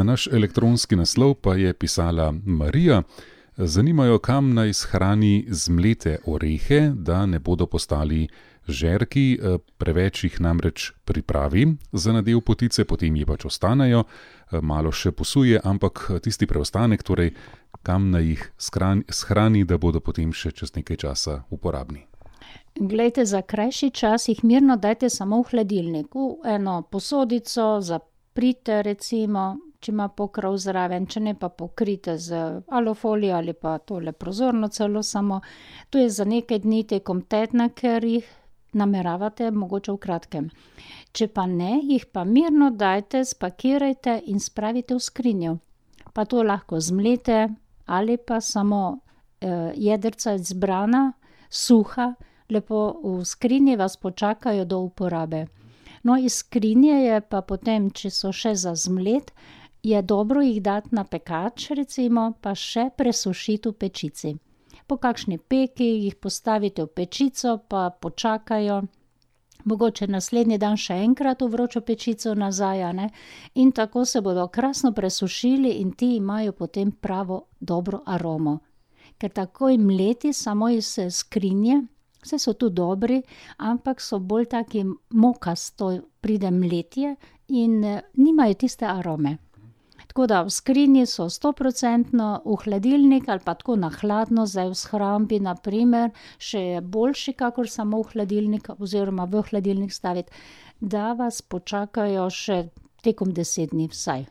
Na naš elektronski naslov pa je pisala Marija. Zanimajo, kam naj shrani zmlete orehe, da ne bodo postali žerki, preveč jih namreč pripravi za nadev potice, potem ji pač ostanejo, malo še posuje, ampak tisti preostanek, torej kam naj jih shrani, da bodo potem še čez nekaj časa uporabni. Glejte, za krajši čas jih mirno dajte samo v hladilnik, v eno posodico, zaprite recimo, če ima pokrov zraven, če ne pa pokrite z alufolijo ali pa tole prozorno celo samo. To je za nekaj dni tekom tedna, ker jih nameravate mogoče v kratkem. Če pa ne, jih pa mirno dajte, spakirajte in spravite v skrinjo. Pa to lahko zmlete ali pa samo jedrca izbrana, suha, lepo v skrinji vas počakajo do uporabe. No, iz skrinje je pa potem, če so še za zmlet, je dobro jih dati na pekač, recimo, pa še presušiti v pečici. Po kakšni peki jih postavite v pečico, pa počakajo, mogoče naslednji dan še enkrat v vročo pečico nazaj, a ne? In tako se bodo krasno presušili in ti imajo potem pravo dobro aromo. Ker takoj mleti samo iz skrinje, vse so tu dobri, ampak so bolj taki mokasto pride mletje in nimajo tiste arome. Tako da v skrinji so 100%, v hladilnik ali pa tako na hladno, zdaj v shrambi na primer, še je boljši, kakor samo v hladilnik oziroma v hladilnik staviti, da vas počakajo še tekom 10 dni vsaj.